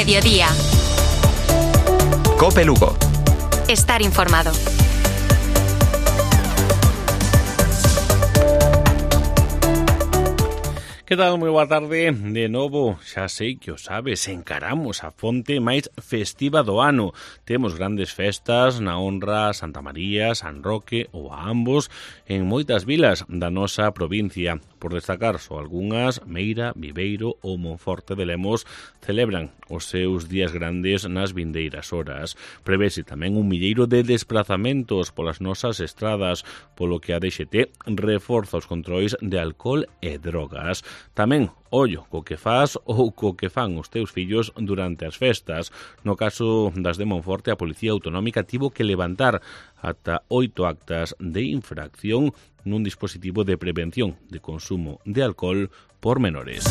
Mediodía. COPE Lugo. Estar informado. Que tal? Moi boa tarde. De novo, xa sei que o sabes, encaramos a fonte máis festiva do ano. Temos grandes festas na honra a Santa María, San Roque ou a ambos en moitas vilas da nosa provincia. Por destacar só algunhas, Meira, Viveiro ou Monforte de Lemos celebran os seus días grandes nas vindeiras horas. Prevese tamén un milleiro de desplazamentos polas nosas estradas, polo que a DXT reforza os controis de alcohol e drogas. Tamén, ollo co que fas ou co que fan os teus fillos durante as festas. No caso das de Monforte, a Policía Autonómica tivo que levantar ata 8 actas de infracción nun dispositivo de prevención de consumo de alcohol por menores.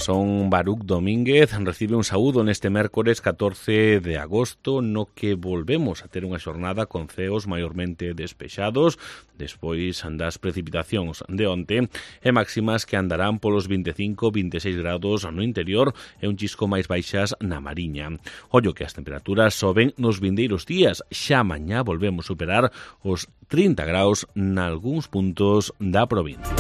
Son Baruc Domínguez recibe un saúdo neste mércores 14 de agosto no que volvemos a ter unha xornada con ceos maiormente despexados despois das precipitacións de onte e máximas que andarán polos 25-26 grados no interior e un chisco máis baixas na Mariña. Ollo que as temperaturas soben nos vindeiros días, xa mañá volvemos superar os 30 graus nalgúns puntos da provincia.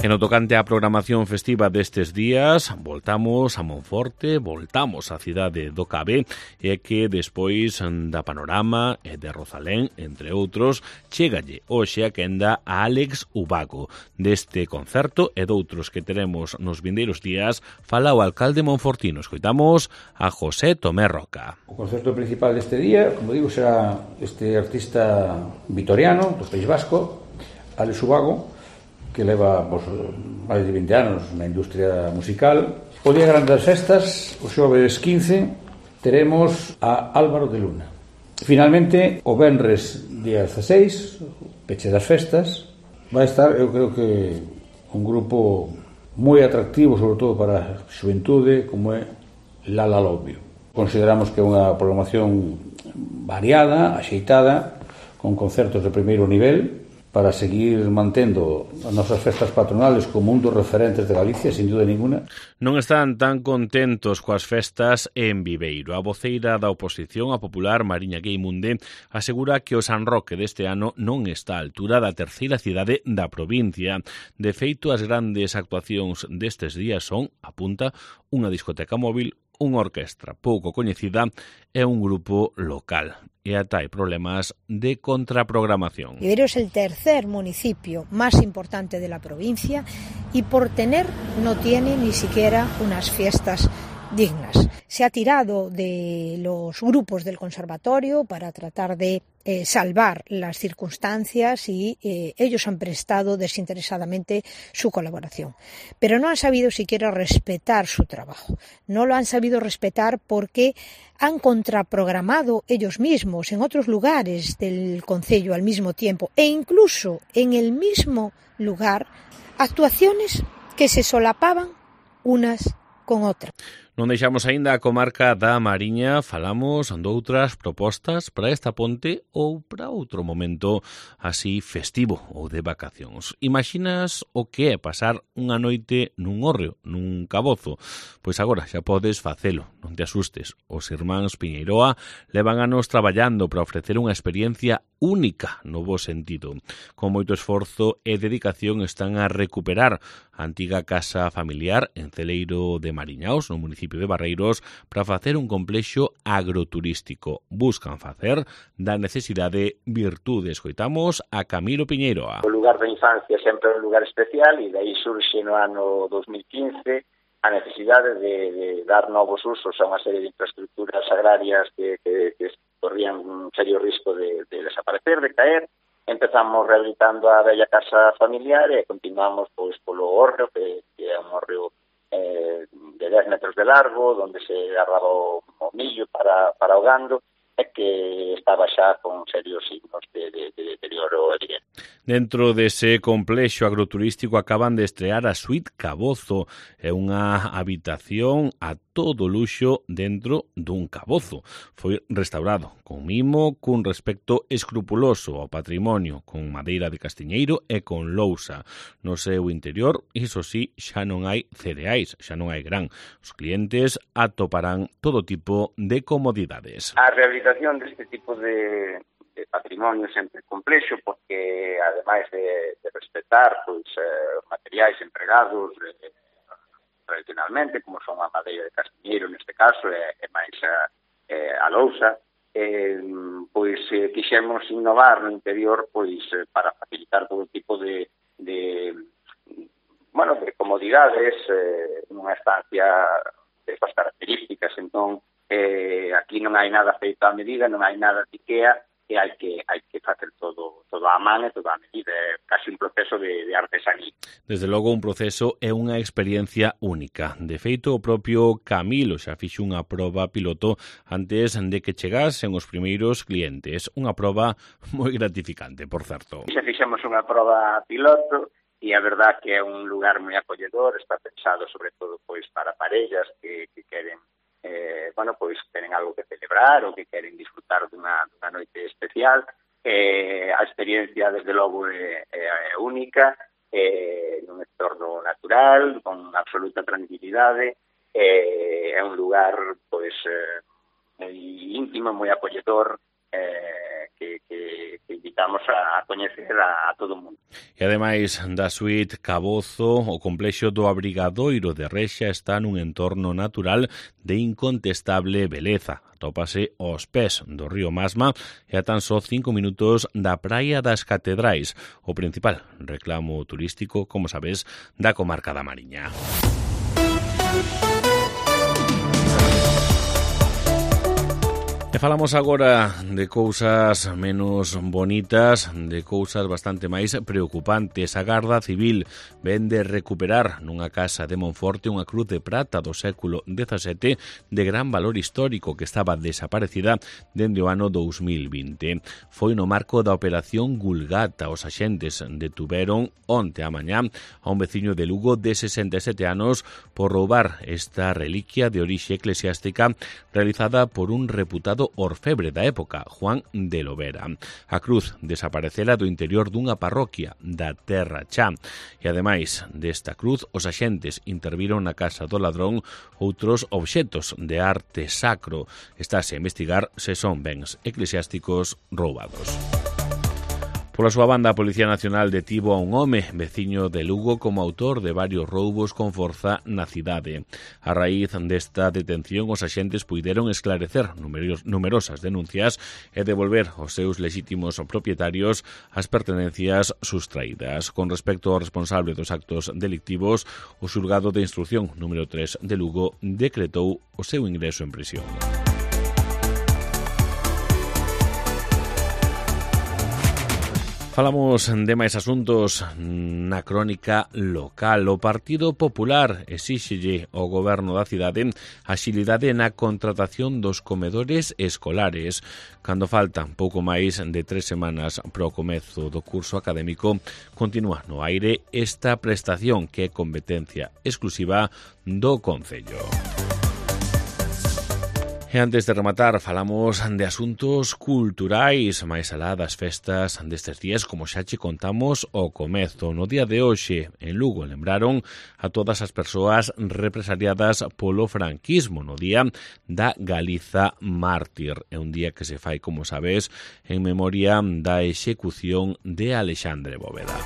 En o tocante á programación festiva destes días, voltamos a Monforte, voltamos á cidade do Cabe, e que despois da Panorama e de Rozalén, entre outros, chégalle hoxe a quenda a Álex Ubago. Deste concerto e doutros que teremos nos vindeiros días, fala o alcalde monfortino. Escoitamos a José Tomé Roca. O concerto principal deste día, como digo, será este artista vitoriano do País Vasco, Álex Ubago, que leva máis de 20 anos na industria musical. O día grande das festas, o xoves 15, teremos a Álvaro de Luna. Finalmente, o venres día 16, peche das festas, vai estar, eu creo que, un grupo moi atractivo, sobre todo para a xuventude, como é Lala Lobio. Consideramos que é unha programación variada, axeitada, con concertos de primeiro nivel, para seguir mantendo as nosas festas patronales como un dos referentes de Galicia, sin dúda ninguna. Non están tan contentos coas festas en Viveiro. A voceira da oposición, a popular Mariña Gueimunde, asegura que o San Roque deste ano non está á altura da terceira cidade da provincia. De feito, as grandes actuacións destes días son, apunta, unha discoteca móvil, unha orquestra pouco coñecida e un grupo local. E ata hai problemas de contraprogramación. Viveiro es el tercer municipio más importante de la provincia y por tener no tiene ni siquiera unas fiestas dignas. Se ha tirado de los grupos del conservatorio para tratar de salvar las circunstancias y ellos han prestado desinteresadamente su colaboración. Pero no han sabido siquiera respetar su trabajo. No lo han sabido respetar porque han contraprogramado ellos mismos en otros lugares del concello al mismo tiempo e incluso en el mismo lugar actuaciones que se solapaban unas con outras. Non deixamos aínda a comarca da Mariña, falamos doutras propostas para esta ponte ou para outro momento así festivo ou de vacacións. Imaginas o que é pasar unha noite nun hórreo, nun cabozo? Pois agora xa podes facelo, non te asustes. Os irmáns Piñeiroa levan anos traballando para ofrecer unha experiencia única no bo sentido. Con moito esforzo e dedicación están a recuperar a antiga casa familiar en Celeiro de Mariñaos, no municipio de Barreiros, para facer un complexo agroturístico. Buscan facer da necesidade virtude. Escoitamos a Camilo Piñeiroa. O lugar da infancia sempre é un lugar especial e dai surxe no ano 2015 a necesidade de dar novos usos a unha serie de infraestructuras agrarias que corrían un serio risco de desaparecer, de caer. Empezamos rehabilitando a bella casa familiar e continuamos pois polo hórreo, que é un hórreo de 10 metros de largo, onde se agarraba o millo para o gando, e que estaba xa con serios signos de deterioro evidente. Dentro dese complexo agroturístico acaban de estrear a Suite Cabozo, é unha habitación a todo luxo dentro dun cabozo. Foi restaurado con mimo, cun respecto escrupuloso ao patrimonio, con madeira de castiñeiro e con lousa. No seu interior, iso sí, xa non hai cereais, xa non hai gran. Os clientes atoparán todo tipo de comodidades. A rehabilitación deste tipo de patrimonio sempre complexo, porque ademais de respetar pois, os materiais empregados tradicionalmente, como son a madeira de castiñeiro neste caso, e máis a lousa, pois quixemos innovar no interior pois para facilitar todo tipo de comodidades nunha estancia destas características. Entón, aquí non hai nada feito a medida, non hai nada de IKEA, e hai que facer todo a man e todo a medida, é casi un proceso de artesanía. Desde logo un proceso é unha experiencia única. De feito, o propio Camilo xa fixo unha proba piloto antes de que chegasen os primeiros clientes. Unha proba moi gratificante, por certo. Xa fixemos unha proba piloto e a verdad que é un lugar moi acolledor, está pensado sobre todo pois para parellas que queren pois tenen algo que celebrar ou que queren disfrutar dunha noite especial. A experiencia, desde logo, é única, nun entorno natural, con absoluta tranquilidade. É un lugar pois moi íntimo, moi acolledor, que invitamos a coñecer a todo o mundo. E ademais da Suite Cabozo, o complexo do Abrigadoiro de Rexa está nun entorno natural de incontestable beleza. Atópase aos pés do río Masma e a tan só 5 minutos da Praia das Catedrais, o principal reclamo turístico, como sabes, da comarca da Mariña. E falamos agora de cousas menos bonitas, de cousas bastante máis preocupantes. A Garda Civil ven de recuperar nunha casa de Monforte unha cruz de prata do século XVII de gran valor histórico que estaba desaparecida dende o ano 2020. Foi no marco da Operación Gulgata. Os axentes detuveron onte a mañá a un veciño de Lugo de 67 anos por roubar esta reliquia de orixe eclesiástica realizada por un reputado orfebre da época, Juan de Lovera. A cruz desaparecera do interior dunha parroquia da Terra Chá. E ademais desta cruz, os axentes interviron na casa do ladrón outros obxetos de arte sacro. Estáse a investigar se son bens eclesiásticos roubados. Pola súa banda, a Policía Nacional detivo a un home veciño de Lugo como autor de varios roubos con forza na cidade. A raíz desta detención, os axentes puideron esclarecer numerosas denuncias e devolver aos seus lexítimos propietarios as pertenencias sustraídas. Con respecto ao responsable dos actos delictivos, o xulgado de instrucción número 3 de Lugo decretou o seu ingreso en prisión. Falamos de máis asuntos na crónica local. O Partido Popular exíxelle ao goberno da cidade axilidade na contratación dos comedores escolares. Cando faltan pouco máis de 3 semanas para o comezo do curso académico, continúa no aire esta prestación que é competencia exclusiva do Concello. E antes de rematar, falamos de asuntos culturais, máis alá das festas destes días, como xa che contamos ao comezo. No día de hoxe, en Lugo, lembraron a todas as persoas represaliadas polo franquismo, no día da Galiza mártir. É un día que se fai, como sabes, en memoria da execución de Alexandre Bóveda.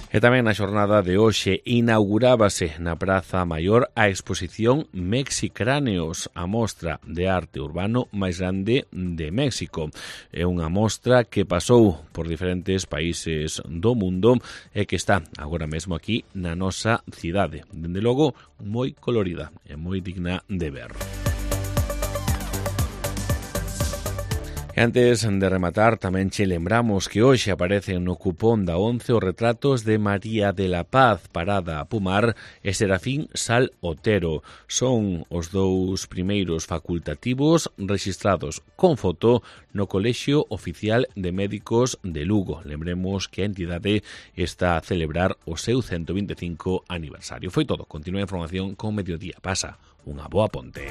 E tamén na xornada de hoxe inaugurábase na Praza Maior a exposición Mexicráneos, a mostra de arte urbano máis grande de México. É unha mostra que pasou por diferentes países do mundo e que está agora mesmo aquí na nosa cidade. Dende logo, moi colorida e moi digna de ver. E Antes de rematar, tamén che lembramos que hoxe aparecen no cupón da 11 os retratos de María de la Paz, Parada a Pumar e Serafín Sal Otero. Son os dous primeiros facultativos rexistrados con foto no Colexio Oficial de Médicos de Lugo. Lembremos que a entidade está a celebrar o seu 125 aniversario. Foi todo. Continúa a información con Mediodía. Pasa unha boa ponte.